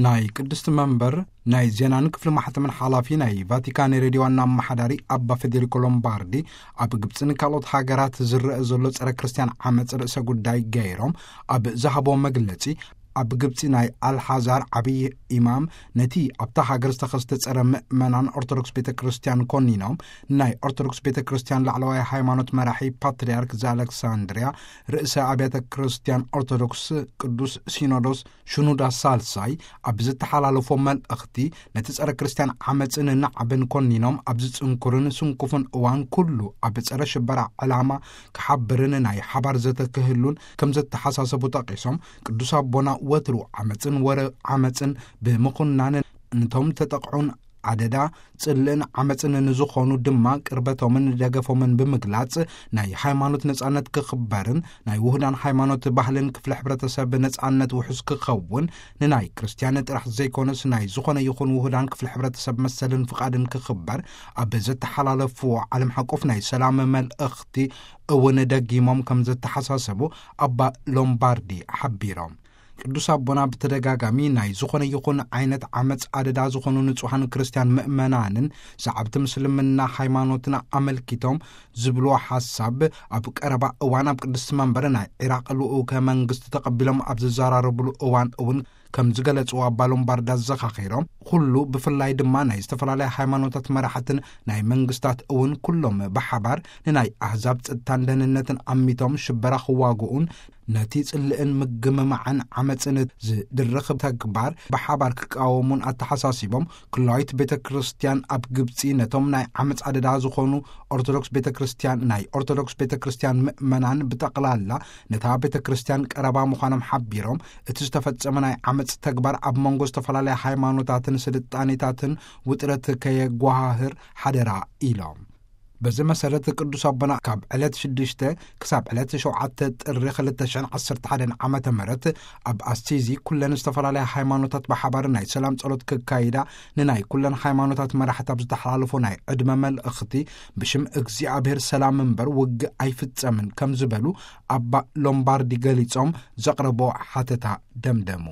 ናይ ቅድስቲ መንበር ናይ ዜናን ክፍሊ ማሕተምን ሓላፊ ናይ ቫቲካን ሬድዮ ዋና ኣመሓዳሪ ኣባ ፌዴሪኮ ሎምባርዲ፣ ኣብ ግብፅን ካልኦት ሃገራት ዝረአ ዘሎ ጸረ ክርስቲያን ዓመፅ ርእሰ ጉዳይ ገይሮም ኣብ ዝሃቦ መግለጺ፣ ኣብ ግብፂ ናይ ኣልሓዛር ዓብዪ ኢማም ነቲ ኣብታ ሃገር ዝተኸስተ ጸረ ምእመናን ኦርቶዶክስ ቤተ ክርስቲያን ኮኒኖም፣ ናይ ኦርቶዶክስ ቤተ ክርስቲያን ላዕለዋይ ሃይማኖት መራሒ ፓትርያርክ ዘኣለክሳንድሪያ፣ ርእሰ ኣብያተ ክርስቲያን ኦርቶዶክስ ቅዱስ ሲኖዶስ ሽኑዳ ሳልሳይ ኣብ ዝተሓላለፎ መልእኽቲ፣ ነቲ ጸረ ክርስቲያን ዓመጽን ናዕብን ኮኒኖም፣ ኣብ ዝጽንኩርን ስንኩፍን እዋን ኩሉ ኣብ ጸረ ሽበራ ዕላማ ክሓብርን ናይ ሓባር ዘተ ክህሉን ከም ዘተሓሳሰቡ ጠቒሶም፣ ቅዱስ ኣቦና ወትሩ ዓመጽን ወረ ዓመጽን ብምኹናን፣ ንቶም ተጠቕዑን ኣደዳ ጽልእን ዓመጽን ንዝኾኑ ድማ ቅርበቶምን ደገፎምን ብምግላጽ፣ ናይ ሃይማኖት ነጻነት ክኽበርን ናይ ውህዳን ሃይማኖት ባህልን ክፍለ ሕብረተሰብ ነጻነት ውሑስ ክኸውን፣ ንናይ ክርስቲያን ጥራሕ ዘይኮነስ ናይ ዝኾነ ይኹን ውህዳን ክፍለ ሕብረተሰብ መሰልን ፍቓድን ክኽበር ኣብ ዘተሓላለፍዎ ዓለም ሓቆፍ ናይ ሰላም መልእኽቲ እውን ደጊሞም ከም ዘተሓሳሰቡ ኣባ ሎምባርዲ ሓቢሮም። ቅዱስ ኣቦና ብተደጋጋሚ ናይ ዝኾነ ይኹን ዓይነት ዓመፅ ኣደዳ ዝኾኑ ንጹሃን ክርስቲያን ምእመናንን ሰዓብቲ ምስልምና ሃይማኖትና ኣመልኪቶም ዝብልዎ ሓሳብ፣ ኣብ ቀረባ እዋን ኣብ ቅድስቲ መንበር ናይ ዒራቕ ልኡከ መንግስቲ ተቐቢሎም ኣብ ዝዘራረብሉ እዋን እውን ከም ዝገለጽዎ ኣባ ሎምባርዲ ኣዘኻኺሮም፣ ኩሉ ብፍላይ ድማ ናይ ዝተፈላለያ ሃይማኖታት መራሕትን ናይ መንግስታት እውን ኩሎም ብሓባር ንናይ ኣህዛብ ጸጥታን ደህንነትን ኣሚቶም ሽበራ ክዋግኡን ነቲ ጽልእን ምግምማዕን ዓመጽን ዝድርኽ ተግባር ብሓባር ክቃወሙን ኣተሓሳሲቦም፣ ኩላዊት ቤተ ክርስቲያን ኣብ ግብጺ ነቶም ናይ ዓመጽ ኣደዳ ዝኾኑ ኦርቶዶክስ ቤተ ክርስቲያን፣ ናይ ኦርቶዶክስ ቤተ ክርስቲያን ምእመናን ብጠቕላላ ነታ ቤተ ክርስቲያን ቀረባ ምዃኖም ሓቢሮም፣ እቲ ዝተፈጸመ ናይ ዓመጽ ተግባር ኣብ መንጎ ዝተፈላለያ ሃይማኖታትን ስልጣኔታትን ውጥረት ከየጓሃህር ሓደራ ኢሎም። በዚ መሰረት ቅዱስ ኣቦና ካብ ዕለት ሽዱሽተ ክሳብ ዕለት ሸውዓተ ጥሪ ክልተ ሽሕን ዓሰርተ ሓደን ዓመተ ምህረት ኣብ ኣሲዚ ኩለን ዝተፈላለያ ሃይማኖታት ብሓባር ናይ ሰላም ጸሎት ክካይዳ ንናይ ኩለን ሃይማኖታት መራሕቲ ኣብ ዝተሓላለፎ ናይ ዕድመ መልእኽቲ፣ ብሽም እግዚኣብሔር ሰላም እምበር ውግእ ኣይፍጸምን ከም ዝበሉ ኣባ ሎምባርዲ ገሊጾም ዘቕረቦ ሓተታ ደምደሙ።